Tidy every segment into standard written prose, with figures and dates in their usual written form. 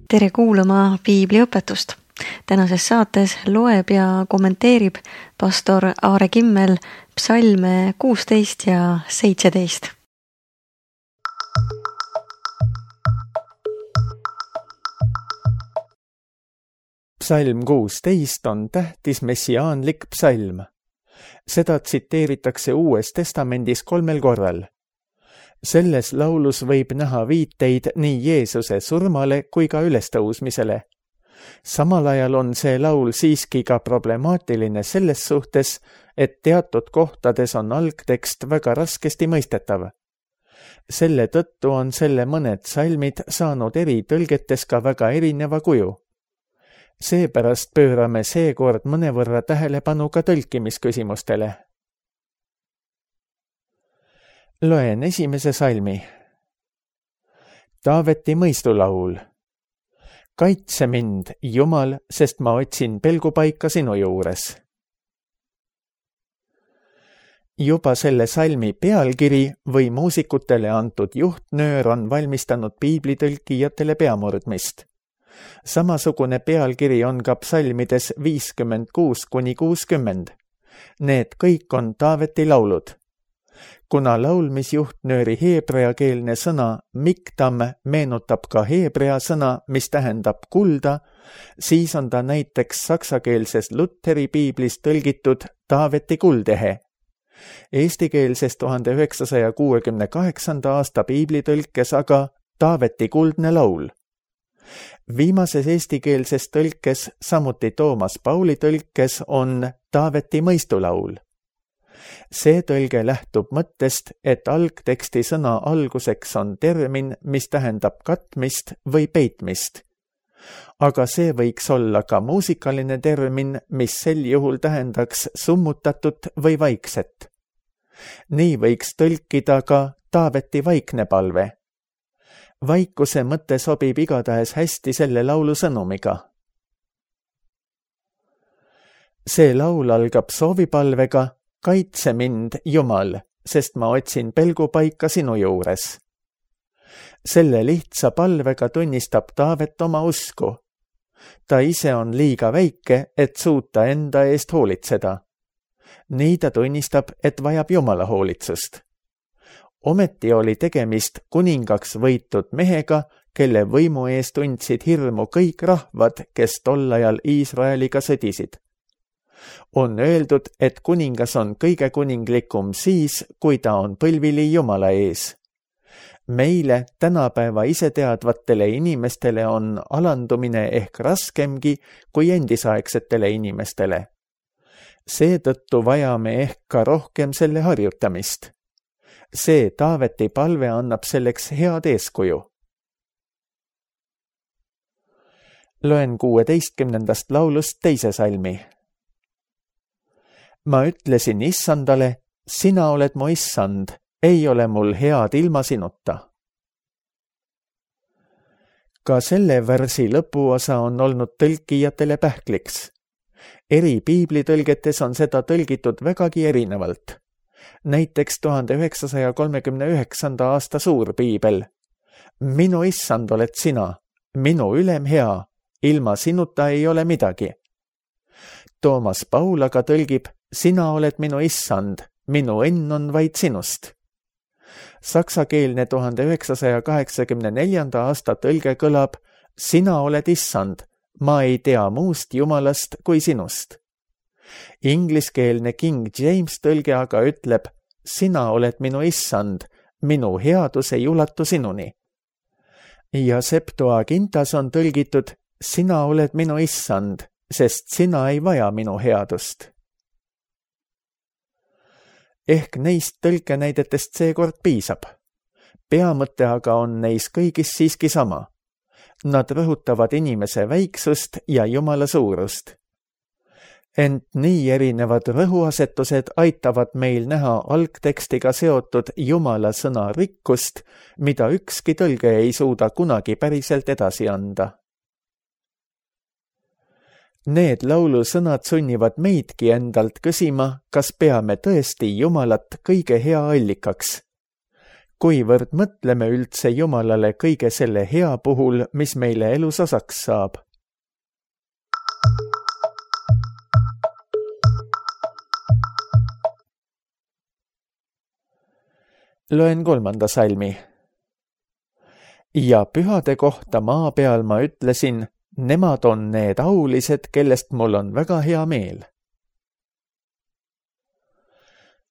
Tere kuulama piibliõpetust. Tänases saates loeb ja kommenteerib pastor Aare Kimmel psalme 16 ja 17. Psalm 16 on tähtis messiaanlik psalm. Seda tsiteeritakse Uues Testamendis 3 korral. Selles laulus võib näha viiteid nii Jeesuse surmale kui ka ülestõusmisele. Samal ajal on see laul siiski ka problemaatiline selles suhtes, et teatud kohtades on algtekst väga raskesti mõistetav. Selle tõttu on selle mõned psalmid saanud eri tõlgetes ka väga erineva kuju. Seepärast pöörame seekord mõnevõrra tähelepanu ka tõlkimisküsimustele. Loen esimese salmi. Taaveti mõistulaul. Kaitse mind, Jumal, sest ma otsin pelgupaika sinu juures. Juba selle salmi pealkiri või muusikutele antud juhtnöör on valmistanud piiblitõlkijatele peamurdmist. Samasugune pealkiri on ka psalmides 56–60. Need kõik on Taaveti laulud. Kuna laulmisjuhtnööri heebreakeelne sõna miktam meenutab ka heebrea sõna, mis tähendab kulda, siis on ta näiteks saksakeelses Lutheri piiblis tõlgitud Taaveti kuldehe. Eestikeelses 1968. aasta piiblitõlkes aga Taaveti kuldne laul. Viimases eestikeelses tõlkes, samuti Toomas Pauli tõlkes on Taaveti mõistulaul. See tõlge lähtub mõttest, et algteksti sõna alguseks on termin, mis tähendab katmist või peitmist. Aga see võiks olla ka muusikaline termin, mis sel juhul tähendaks summutatut või vaikset. Nii võiks tõlkida ka Taaveti vaikne palve. Vaikuse mõte sobib igatahes hästi selle laulu sõnumiga. See laul algab soovipalvega Kaitse mind, Jumal, sest ma otsin pelgupaika sinu juures. Selle lihtsa palvega tunnistab Taavet oma usku. Ta ise on liiga väike, et suuta enda eest hoolitseda. Nii ta tunnistab, et vajab Jumala hoolitsust. Ometi oli tegemist kuningaks võitud mehega, kelle võimu eest tundsid hirmu kõik rahvad, kes tol ajal Iisraeliga sõdisid. On öeldud, et kuningas on kõige kuninglikum siis, kui ta on põlvili Jumala ees. Meile, tänapäeva iseteadvatele inimestele on alandumine ehk raskemgi kui endisaegsetele inimestele. Seetõttu vajame ehk ka rohkem selle harjutamist. See Taaveti palve annab selleks head eeskuju. Loen 16. laulust teise salmi. Ma ütlesin Issandale, sina oled mu Issand, ei ole mul head ilma sinuta. Ka selle värsi lõpuosa on olnud tõlkijatele pähkliks. Eri piiblitõlgetes on seda tõlgitud vägagi erinevalt. Näiteks 1939. aasta suurpiibel. Minu Issand oled sina, minu ülem hea, ilma sinuta ei ole midagi. Toomas Paul aga tõlgib, sina oled minu Issand, minu õnn on vaid sinust. Saksakeelne 1984. aasta tõlge kõlab, sina oled Issand, ma ei tea muust Jumalast kui sinust. Ingliskeelne King James tõlge aga ütleb, sina oled minu Issand, minu headus ei ulatu sinuni. Ja Septuagintas on tõlgitud, sina oled minu Issand, sest sina ei vaja minu headust. Ehk neist tõlkenäidetest seekord piisab. Peamõte aga on neis kõigis siiski sama. Nad rõhutavad inimese väiksust ja Jumala suurust. Ent nii erinevad rõhuasetused aitavad meil näha algtekstiga seotud Jumala sõna rikkust, mida ükski tõlge ei suuda kunagi päriselt edasi anda. Need laulusõnad sunnivad meidki endalt küsima, kas peame tõesti Jumalat kõige hea allikaks. kuivõrd mõtleme üldse Jumalale kõige selle hea puhul, mis meile elus osaks saab. Loen 3. salmi. Ja pühade kohta maa peal ma ütlesin, nemad on need aulised, kellest mul on väga hea meel.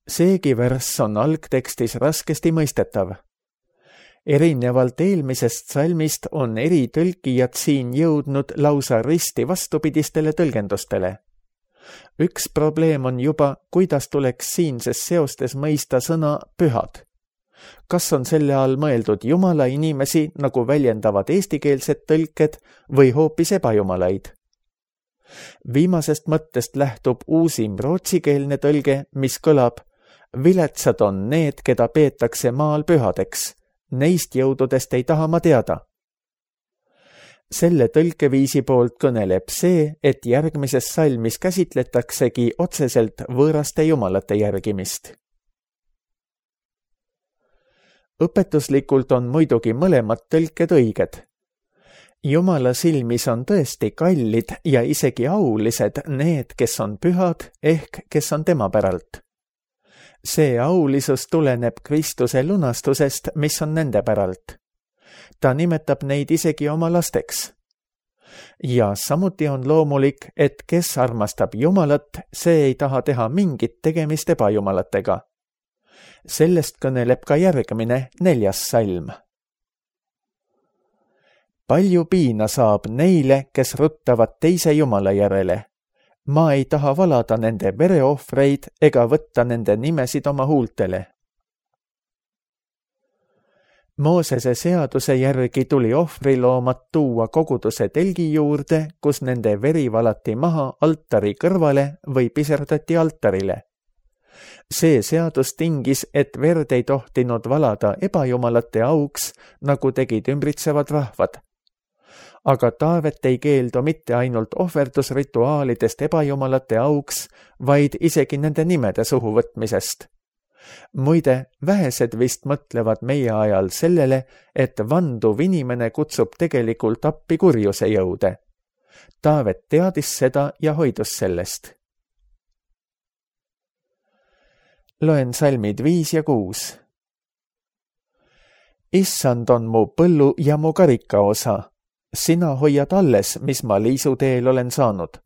Seegi värss on algtekstis raskesti mõistetav. Erinevalt eelmisest salmist on eri tõlkijad siin jõudnud lausa risti vastupidistele tõlgendustele. Üks probleem on juba, kuidas tuleks siinses seostes mõista sõna pühad. Kas on selle all mõeldud Jumala inimesi, nagu väljendavad eestikeelsed tõlked, või hoopis ebajumalaid? Viimasest mõttest lähtub uusim rootsikeelne tõlge, mis kõlab: viletsad on need, keda peetakse maal pühadeks. Neist jõududest ei taha ma teada. Selle tõlkeviisi poolt kõneleb see, et järgmises salmis käsitletaksegi otseselt võõraste jumalate järgimist. Õpetuslikult on muidugi mõlemad tõlked õiged. Jumala silmis on tõesti kallid ja isegi aulised need, kes on pühad ehk kes on tema päralt. See aulisus tuleneb Kristuse lunastusest, mis on nende päralt. Ta nimetab neid isegi oma lasteks. Ja samuti on loomulik, et kes armastab Jumalat, see ei taha teha mingit tegemist ebajumalatega. Sellest kõneleb ka järgmine 4. salm. Palju piina saab neile, kes ruttavad teise Jumala järele. Ma ei taha valada nende vereohvreid ega võtta nende nimesid oma huultele. Moosese seaduse järgi tuli ohvriloomad tuua koguduse telgi juurde, kus nende veri valati maha altari kõrvale või piserdati altarile. See seadus tingis, et verd ei tohtinud valada ebajumalate auks, nagu tegid ümbritsevad rahvad. Aga Taavet ei keeldu mitte ainult ohverdusrituaalidest ebajumalate auks, vaid isegi nende nimede suhu võtmisest. Muide, vähesed vist mõtlevad meie ajal sellele, et vanduv inimene kutsub tegelikult appi kurjuse jõude. Taavet teadis seda ja hoidus sellest. Loen salmid 5 ja 6. Issand on mu põllu ja mu karikaosa. Sina hoiad alles, mis ma liisuteel olen saanud.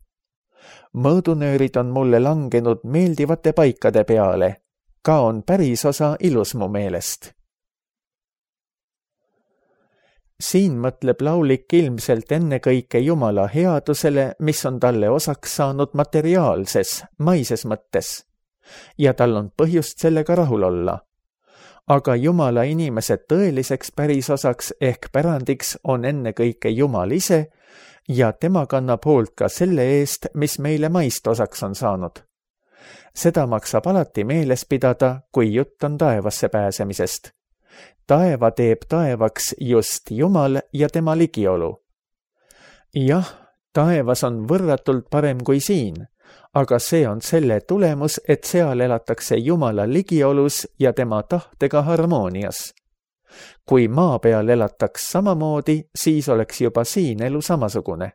Mõõdunöörid on mulle langenud meeldivate paikade peale. Ka on päris osa ilus mu meelest. Siin mõtleb laulik ilmselt ennekõike Jumala headusele, mis on talle osaks saanud materiaalses, maises mõttes. Ja tal on põhjust sellega rahul olla. Aga Jumala inimese tõeliseks pärisosaks ehk pärandiks on ennekõike Jumal ise ja tema kannab hoolt ka selle eest, mis meile maist osaks on saanud. Seda maksab alati meeles pidada, kui jutt on taevasse pääsemisest. Taeva teeb taevaks just Jumal ja tema ligiolu. Jah, taevas on võrratult parem kui siin, aga see on selle tulemus, et seal elatakse Jumala ligiolus ja tema tahtega harmoonias. Kui maa peal elataks samamoodi, siis oleks juba siin elu samasugune.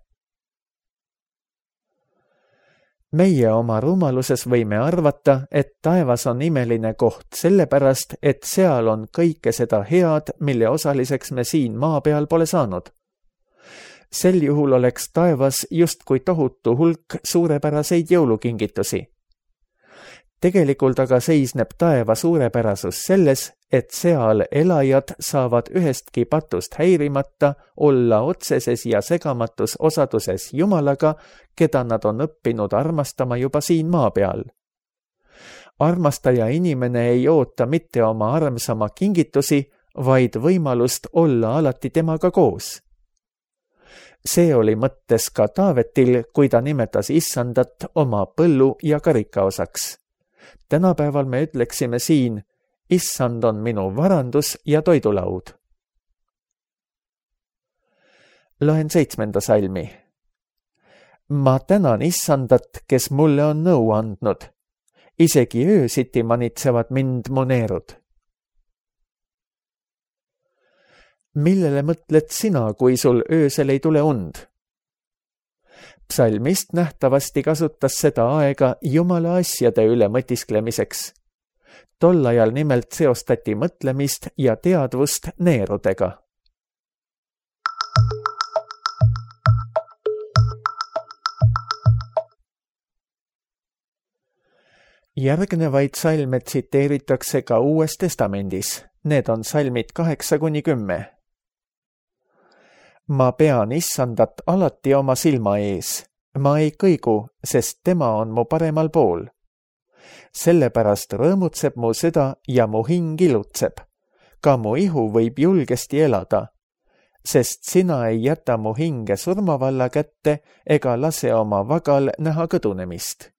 Meie oma rumaluses võime arvata, et taevas on imeline koht sellepärast, et seal on kõike seda head, mille osaliseks me siin maa peal pole saanud. Sel juhul oleks taevas justkui tohutu hulk suurepäraseid jõulukingitusi. Tegelikult aga seisneb taeva suurepärasus selles, et seal elajad saavad ühestki patust häirimata olla otseses ja segamatus osaduses Jumalaga, keda nad on õppinud armastama juba siin maa peal. Armastaja inimene ei oota mitte oma armsama kingitusi, vaid võimalust olla alati temaga koos. See oli mõttes ka Taavetil, kui ta nimetas Issandat oma põllu ja karikaosaks. Tänapäeval me ütleksime siin, Issand on minu varandus ja toidulaud. Loen 7. salmi. Ma tänan Issandat, kes mulle on nõu andnud. Isegi öösiti manitsevad mind mu neerud. millele mõtled sina, kui sul öösel ei tule und? Psalmist nähtavasti kasutas seda aega Jumala asjade üle mõtisklemiseks. Tol ajal nimelt seostati mõtlemist ja teadvust neerudega. Järgnevaid salme tsiteeritakse ka Uues Testamendis. Need on salmid 8-10. Ma pean issandat alati oma silma ees. Ma ei kõigu, sest tema on mu paremal pool. Sellepärast rõõmutseb mu süda ja mu hing ilutseb. Ka mu ihu võib julgesti elada, sest sina ei jäta mu hinge surmavalla kätte ega lase oma vagal näha kõdunemist.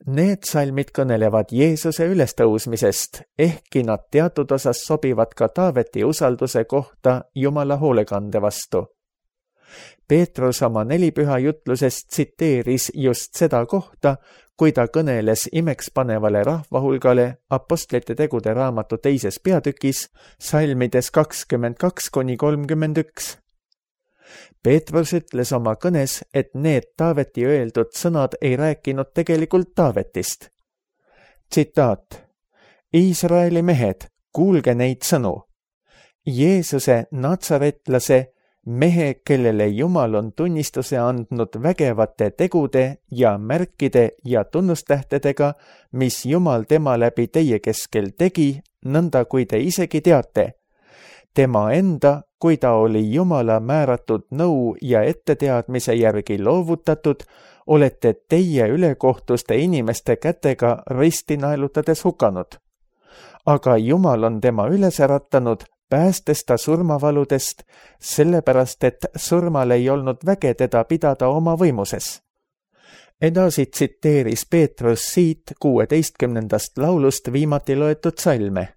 Need salmid kõnelevad Jeesuse ülestõusmisest, ehkki nad teatud osas sobivad ka Taaveti usalduse kohta Jumala hoolekande vastu. Peetrus oma 4 püha jutlusest tsiteeris just seda kohta, kui ta kõneles imekspanevale rahvahulgale Apostlite tegude raamatu 2. peatükis, salmides 22-31. Peetrus ütles oma kõnes, et need Taaveti öeldud sõnad ei rääkinud tegelikult Taavetist. Tsitaat: Iisraeli mehed, kuulge neid sõnu. Jeesuse natsaretlase, mehe, kellele Jumal on tunnistuse andnud vägevate tegude ja märkide ja tunnustähtedega, mis Jumal tema läbi teie keskel tegi, nõnda kui te isegi teate. Tema enda, kui ta oli Jumala määratud nõu ja etteteadmise järgi loovutatud, olete teie ülekohtuste inimeste kätega risti naelutades hukanud. Aga Jumal on tema üles äratanud, päästes ta surmavaludest, sellepärast et surmal ei olnud väge teda pidada oma võimuses. Edasi tsiteeris Peetrus siit 16. laulust viimati loetud salme.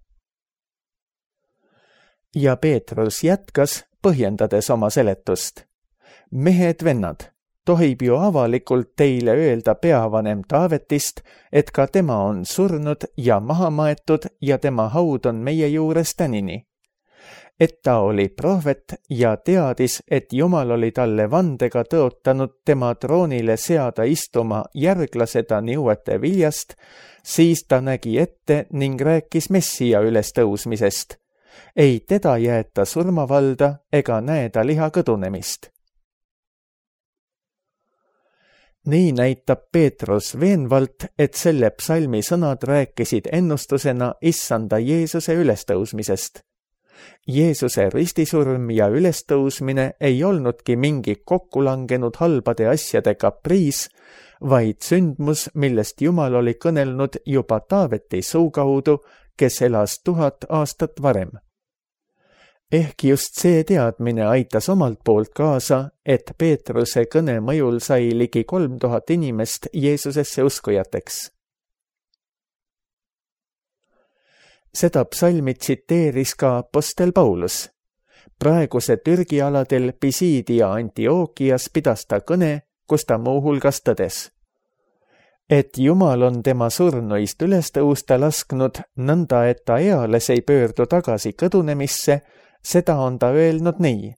Ja Peetrus jätkas, põhjendades oma seletust. Mehed, vennad, tohib ju avalikult teile öelda peavanem Taavetist, et ka tema on surnud ja maha maetud ja tema haud on meie juures tänini. Et ta oli prohvet ja teadis, et Jumal oli talle vandega tõotanud tema troonile seada istuma järglase ta niuete viljast, siis ta nägi ette ning rääkis Messia ülestõusmisest. Ei teda jäeta surmavalda ega näe ta liha kõdunemist. Nii näitab Peetrus veenvalt, et selle psalmi sõnad rääkisid ennustusena issanda Jeesuse ülestõusmisest. Jeesuse ristisurm ja ülestõusmine ei olnudki mingi kokkulangenud halbade asjade kapriis, vaid sündmus, millest Jumal oli kõnelnud juba Taaveti suu kaudu, kes elas 1000 aastat varem. Ehk just see teadmine aitas omalt poolt kaasa, et Peetruse kõne mõjul sai ligi 3000 inimest Jeesusesse uskujateks. Seda psalmi tsiteeris ka apostel Paulus. Praeguse Türgi aladel Pisiidi ja Antiookias pidas ta kõne, kus ta muuhulgas tõdes, et Jumal on tema surnuist üles tõusta lasknud, nõnda et ta eales ei pöördu tagasi kõdunemisse, seda on ta öelnud nii.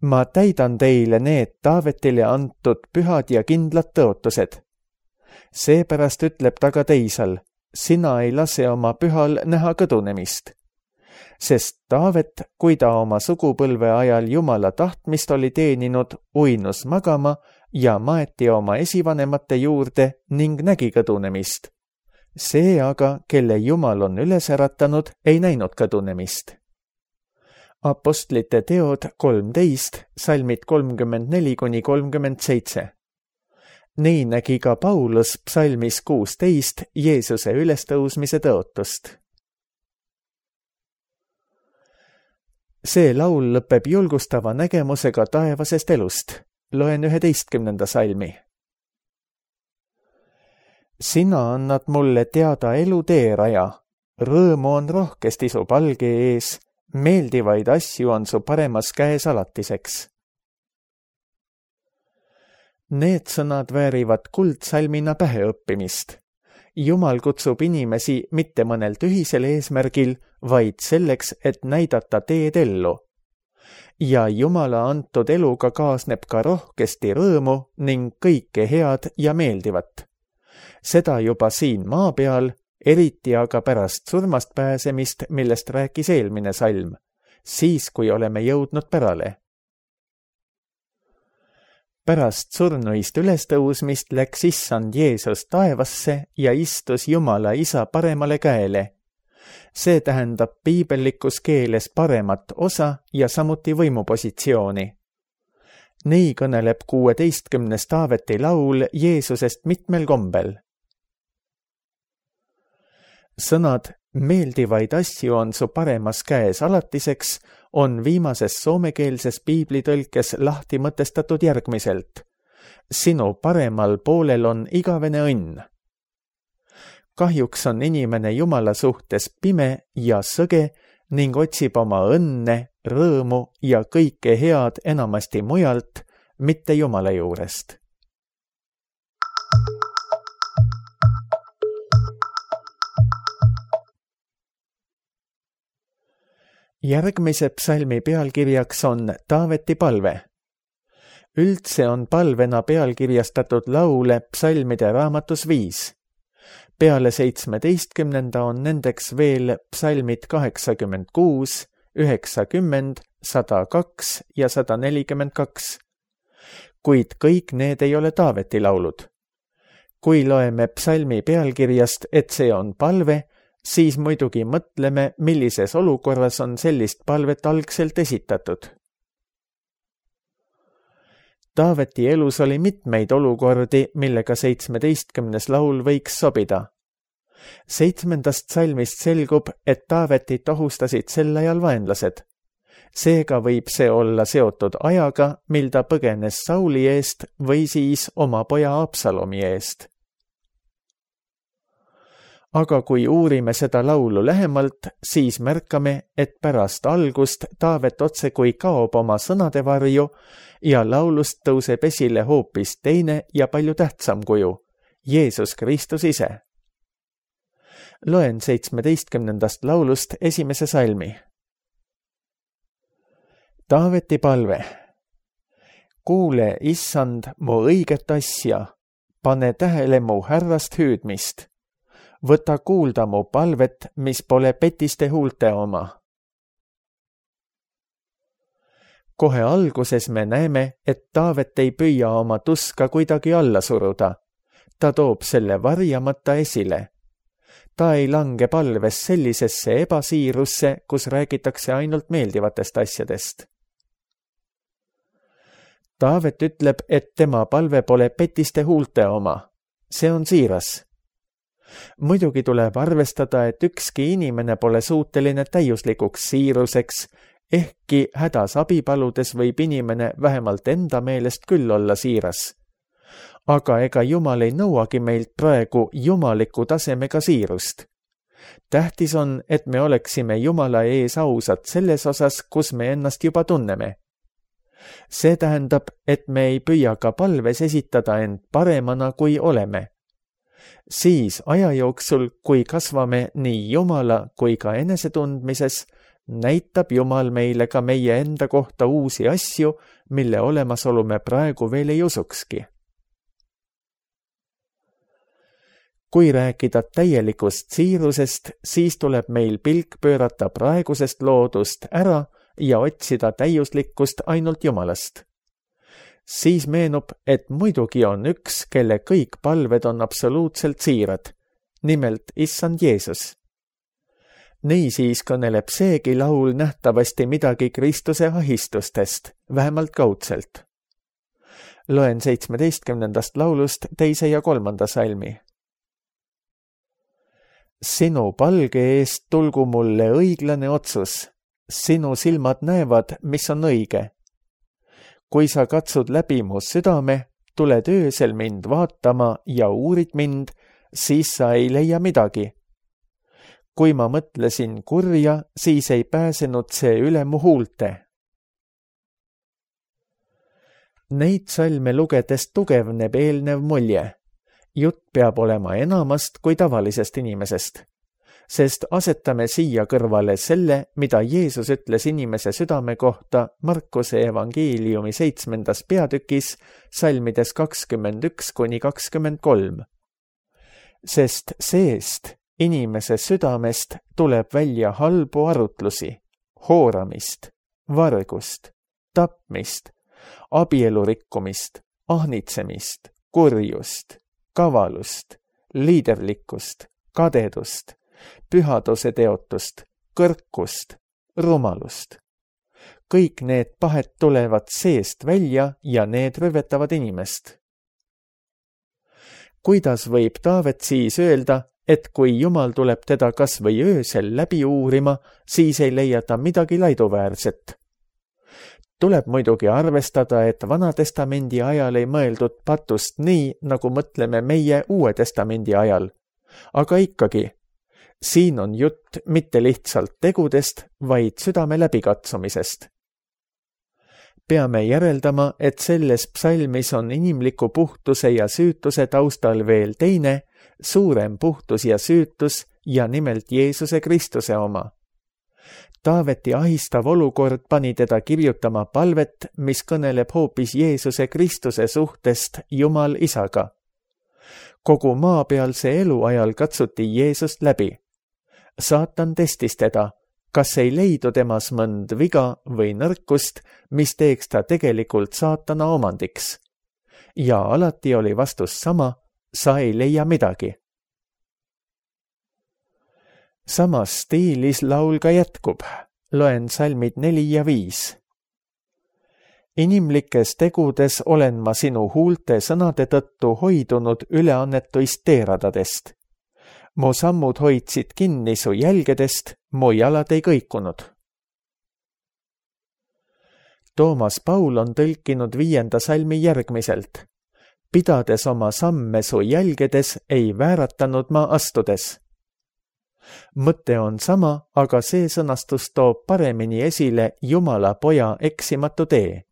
Ma täidan teile need Taavetile antud pühad ja kindlad tõotused. Seepärast ütleb ta ka teisal, sina ei lase oma pühal näha kõdunemist. Sest Taavet, kui ta oma sugupõlve ajal Jumala tahtmist oli teeninud, uinus magama ja maeti oma esivanemate juurde ning nägi kõdunemist. See aga, kelle Jumal on üles äratanud, ei näinud kõdunemist. Apostlite teod 13, salmid 34-37. Nii nägi ka Paulus psalmis 16 Jeesuse ülestõusmise tõotust. See laul lõpeb julgustava nägemusega taevasest elust. Loen 11. salmi. Sina annad mulle teada elu teeraja, rõõmu on rohkesti su palge ees, meeldivaid asju on su paremas käes alatiseks. Need sõnad väärivad kuldsalmina päheõppimist. Jumal kutsub inimesi mitte mõnel tühisel eesmärgil, vaid selleks, et näidata teed ellu. Ja Jumala antud eluga kaasneb ka rohkesti rõõmu ning kõike head ja meeldivat. Seda juba siin maa peal, eriti aga pärast surmast pääsemist, millest rääkis eelmine salm, siis kui oleme jõudnud pärale. Pärast surnuist ülestõusmist läks issand Jeesus taevasse ja istus Jumala Isa paremale käele. See tähendab piibellikus keeles paremat osa ja samuti võimupositsiooni. Nii kõneleb 16. Taaveti laul Jeesusest mitmel kombel. Sõnad meeldivaid asju on su paremas käes alatiseks on viimases soomekeelses piiblitõlkes lahti mõtestatud järgmiselt. Sinu paremal poolel on igavene õnn. Kahjuks on inimene Jumala suhtes pime ja sõge ning otsib oma õnne, rõõmu ja kõike head enamasti mujalt, mitte Jumala juurest. Järgmise psalmi pealkirjaks on Taaveti palve. Üldse on palvena pealkirjastatud laule psalmide raamatus 5. Peale 17. on nendeks veel psalmid 86, 90, 102 ja 142. Kuid kõik need ei ole Taaveti laulud. Kui loeme psalmi pealkirjast, et see on palve, siis muidugi mõtleme, millises olukorras on sellist palvet algselt esitatud. Taaveti elus oli mitmeid olukordi, millega 17. laul võiks sobida. 7. salmist selgub, et Taavetit ohustasid sel ajal vaenlased. Seega võib see olla seotud ajaga, mil ta põgenes Sauli eest või siis oma poja Absalomi eest. Aga kui uurime seda laulu lähemalt, siis märkame, et pärast algust Taavet otsekui kaob oma sõnade varju ja laulust tõuseb esile hoopis teine ja palju tähtsam kuju, Jeesus Kristus ise. Loen 17. laulust esimese salmi. Taaveti palve. Kuule, issand, mu õiget asja, pane tähele mu härrast hüüdmist. Võta kuulda mu palvet, mis pole petiste huulte oma. Kohe alguses me näeme, et Taavet ei püüa oma tuska kuidagi alla suruda. Ta toob selle varjamata esile. Ta ei lange palves sellisesse ebasiirusse, kus räägitakse ainult meeldivatest asjadest. Taavet ütleb, et tema palve pole petiste huulte oma. See on siiras. Muidugi tuleb arvestada, et ükski inimene pole suuteline täiuslikuks siiruseks, ehkki hädas abi paludes võib inimene vähemalt enda meelest küll olla siiras. Aga ega Jumal ei nõuagi meilt praegu jumaliku tasemega siirust. Tähtis on, et me oleksime Jumala ees ausad selles osas, kus me ennast juba tunneme. See tähendab, et me ei püüa ka palves esitada end paremana, kui oleme. Siis aja jooksul, kui kasvame nii Jumala kui ka enesetundmises, näitab Jumal meile ka meie enda kohta uusi asju, mille olemasolu me praegu veel ei usukski. Kui rääkida täielikust siirusest, siis tuleb meil pilk pöörata praegusest loodust ära ja otsida täiuslikkust ainult Jumalast. Siis meenub, et muidugi on üks, kelle kõik palved on absoluutselt siirad, nimelt issand Jeesus. Niisiis kõneleb seegi laul nähtavasti midagi Kristuse ahistustest, vähemalt kaudselt. Loen 17. laulust 2. ja 3. salmi. Sinu palge eest tulgu mulle õiglane otsus, sinu silmad näevad, mis on õige. Kui sa katsud läbi mu südame, tuled öösel mind vaatama ja uurid mind, siis sa ei leia midagi. Kui ma mõtlesin kurja, siis ei pääsenud see üle mu huulte. Neid salme lugedes tugevneb eelnev mulje. jutt peab olema enamast kui tavalisest inimesest, sest asetame siia kõrvale selle, mida Jeesus ütles inimese südame kohta Markuse evangeeliumi 7. peatükis salmides 21–23. Sest seest, inimese südamest tuleb välja halbu arutlusi, hooramist, vargust, tapmist, abielurikkumist, ahnitsemist, kurjust, kavalust, liiderlikkust, kadedust, pühaduse teotust, kõrkust, rumalust. Kõik need pahed tulevad seest välja ja need rüvetavad inimest. Kuidas võib Taavet siis öelda, et kui Jumal tuleb teda kas või öösel läbi uurima, siis ei leia ta midagi laiduväärset? Tuleb muidugi arvestada, et Vana Testamendi ajal ei mõeldud patust nii, nagu mõtleme meie Uue Testamendi ajal. Aga ikkagi, siin on jutt mitte lihtsalt tegudest, vaid südame läbikatsumisest. Peame järeldama, et selles psalmis on inimliku puhtuse ja süütuse taustal veel teine, suurem puhtus ja süütus ja nimelt Jeesuse Kristuse oma. Taaveti ahistav olukord pani teda kirjutama palvet, mis kõneleb hoopis Jeesuse Kristuse suhtest Jumal Isaga. Kogu maapealse elu ajal katsuti Jeesust läbi. Saatan testis teda, kas ei leidu temas mõnd viga või nõrkust, mis teeks ta tegelikult saatana omandiks. Ja alati oli vastus sama, sa ei leia midagi. Samas stiilis laul ka jätkub. Loen salmid 4 ja 5. Inimlikes tegudes olen ma sinu huulte sõnade tõttu hoidunud üleannetuist teeradadest. Mu sammud hoidsid kinni su jälgedest, mu jalad ei kõikunud. Toomas Paul on tõlkinud 5. salmi järgmiselt. Pidades oma samme su jälgedes, ei vääratanud ma astudes. Mõte on sama, aga see sõnastus toob paremini esile Jumala poja eksimatu tee.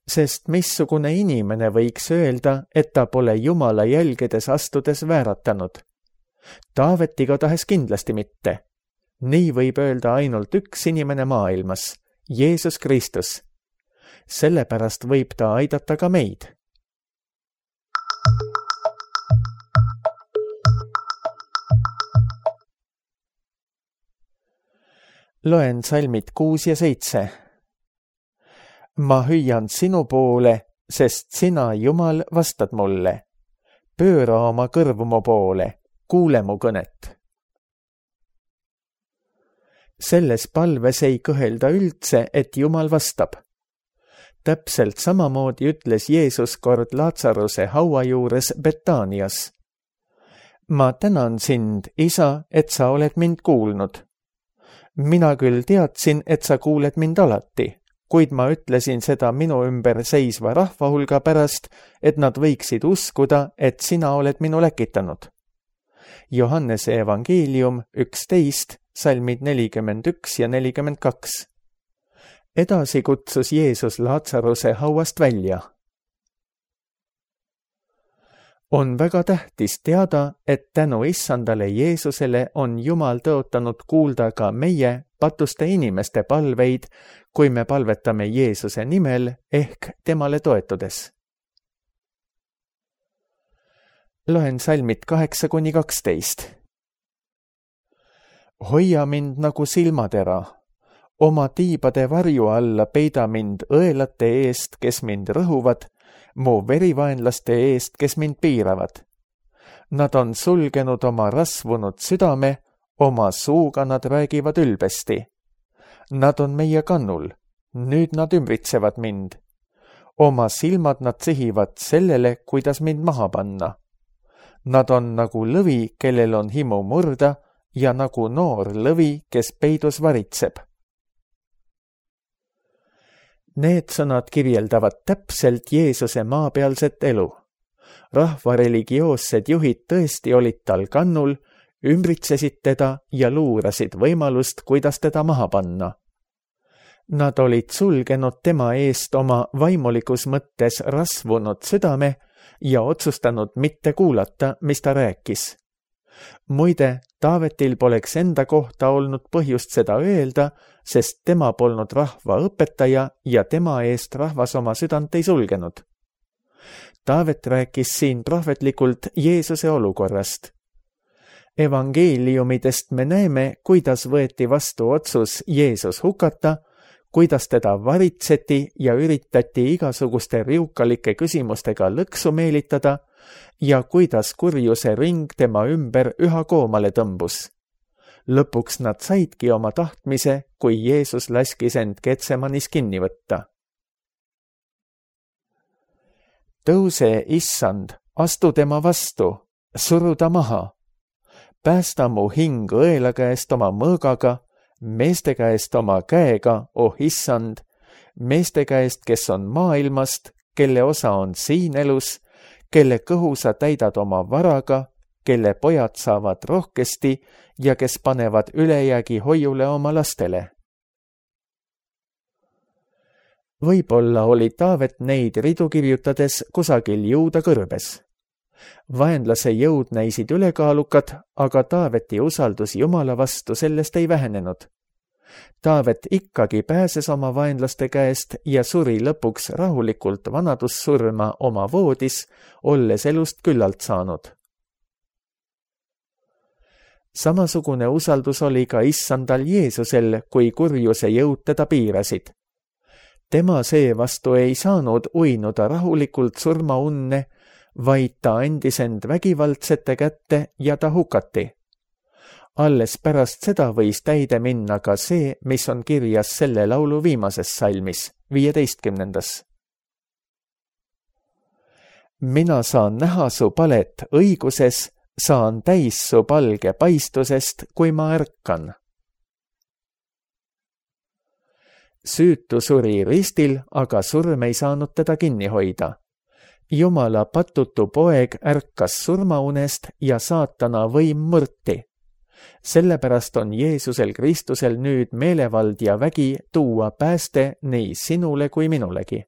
Sest missugune inimene võiks öelda, et ta pole Jumala jälgedes astudes vääratanud? Taavet igatahes kindlasti mitte. Nii võib öelda ainult üks inimene maailmas, Jeesus Kristus. Sellepärast võib ta aidata ka meid. Loen salmid 6 ja 7. Ma hüüan sinu poole, sest sina, Jumal, vastad mulle. Pööra oma kõrvu mu poole, kuule mu kõnet. Selles palves ei kõhelda üldse, et Jumal vastab. Täpselt samamoodi ütles Jeesus kord Laatsaruse haua juures Betaanias. Ma tänan sind, Isa, et sa oled mind kuulnud. Mina küll teadsin, et sa kuuled mind alati, kuid ma ütlesin seda minu ümber seisva rahva hulga pärast, et nad võiksid uskuda, et sina oled minu läkitanud. Johannese evangeelium 11, salmid 41 ja 42. Edasi kutsus Jeesus Laatsaruse hauast välja. On väga tähtis teada, et tänu issandale Jeesusele on Jumal tõotanud kuulda ka meie patuste inimeste palveid, kui me palvetame Jeesuse nimel ehk temale toetudes. Loen salmid 8–12. Hoia mind nagu silmatera. Oma tiibade varju alla peida mind õelate eest, kes mind rõhuvad, mu verivaenlaste eest, kes mind piiravad. Nad on sulgenud oma rasvunud südame, oma suuga nad räägivad ülbesti. Nad on meie kannul, nüüd nad ümbritsevad mind. Oma silmad nad sihivad sellele, kuidas mind maha panna. Nad on nagu lõvi, kellel on himu murda, ja nagu noor lõvi, kes peidus varitseb. Need sõnad kirjeldavad täpselt Jeesuse maapealset elu. Rahva religioossed juhid tõesti olid tal kannul, ümbritsesid teda ja luurasid võimalust, kuidas teda maha panna. Nad olid sulgenud tema eest oma vaimulikus mõttes rasvunud südame, ja otsustanud mitte kuulata, mis ta rääkis. Muide, Taavetil poleks enda kohta olnud põhjust seda öelda, sest tema polnud rahva õpetaja ja tema eest rahvas oma südant ei sulgenud. Taavet rääkis siin prohvetlikult Jeesuse olukorrast. Evangeeliumidest me näeme, kuidas võeti vastu otsus Jeesus hukata, kuidas teda varitseti ja üritati igasuguste riukalike küsimustega lõksu meelitada ja kuidas kurjuse ring tema ümber üha koomale tõmbus. Lõpuks nad saidki oma tahtmise, kui Jeesus laskis end Getsemanis kinni võtta. Tõuse, issand, astu tema vastu, suru ta maha. Päästa mu hing õela käest oma mõõgaga, meeste käest oma käega, oh issand, meeste käest, kes on maailmast, kelle osa on siin elus, kelle kõhu sa täidad oma varaga, kelle pojad saavad rohkesti ja kes panevad ülejäägi hoiule oma lastele. Võib-olla oli Taavet neid ridu kirjutades kusagil jõuda kõrbes. Vaenlase jõud näisid ülekaalukad, aga Taaveti usaldus Jumala vastu sellest ei vähenenud. Taavet ikkagi pääses oma vaenlaste käest ja suri lõpuks rahulikult vanadussurma oma voodis, olles elust küllalt saanud. Samasugune usaldus oli ka issandal Jeesusel, kui kurjuse jõud teda piirasid. Tema seevastu ei saanud uinuda rahulikult surmaunne, vaid ta andis end vägivaldsete kätte ja ta hukati. Alles pärast seda võis täide minna ka see, mis on kirjas selle laulu viimases salmis, 15. Mina saan näha su palet õiguses, saan täis su palge paistusest, kui ma ärkan. Süütu suri ristil, aga surm ei saanud teda kinni hoida. Jumala patutu poeg ärkas surmaunest ja saatana võim murti. Sellepärast on Jeesusel Kristusel nüüd meelevald ja vägi tuua pääste nii sinule kui minulegi.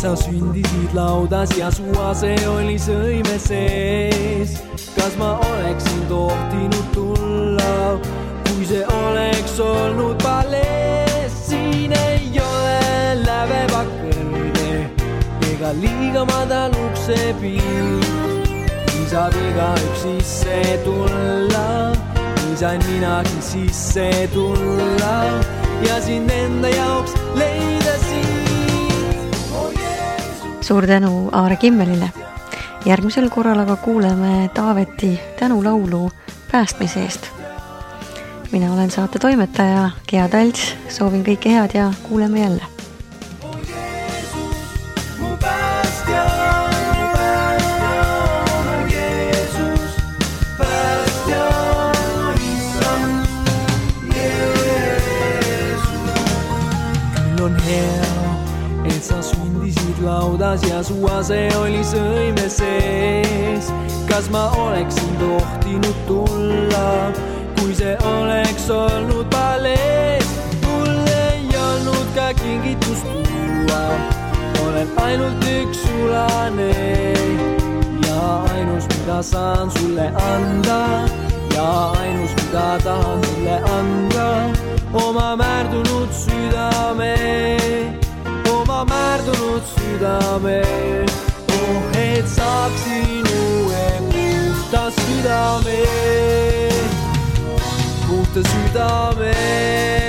Sa sündisid laudas ja su ase oli sõime sees. Kas ma oleksin tohtinud tulla, kui see oleks olnud palees? Siin ei ole lävepakk kõrge ega liiga madal uksepiir. Nii saab igaüks sisse tulla, nii sain minagi sisse tulla ja sind enda jaoks leida siin. Suur tänu Aare Kimmelile. Järgmisel korral aga kuuleme Taaveti tänulaulu päästmise eest. Mina olen saate toimetaja Gea Talts, soovin kõike head ja kuuleme jälle. Laudas ja su ase oli sõime sees. Kas ma oleksin tohtinud tulla, kui see oleks olnud palees? Mul ei olnud ka kingitust tuua, olen ainult üks sulane ja ainus, mida saan sulle anda ja ainus, mida tahan sulle anda, oma määrdunud südame. Oma määrdunud südame, oh et saaksin uue puhta südame, puhta südame.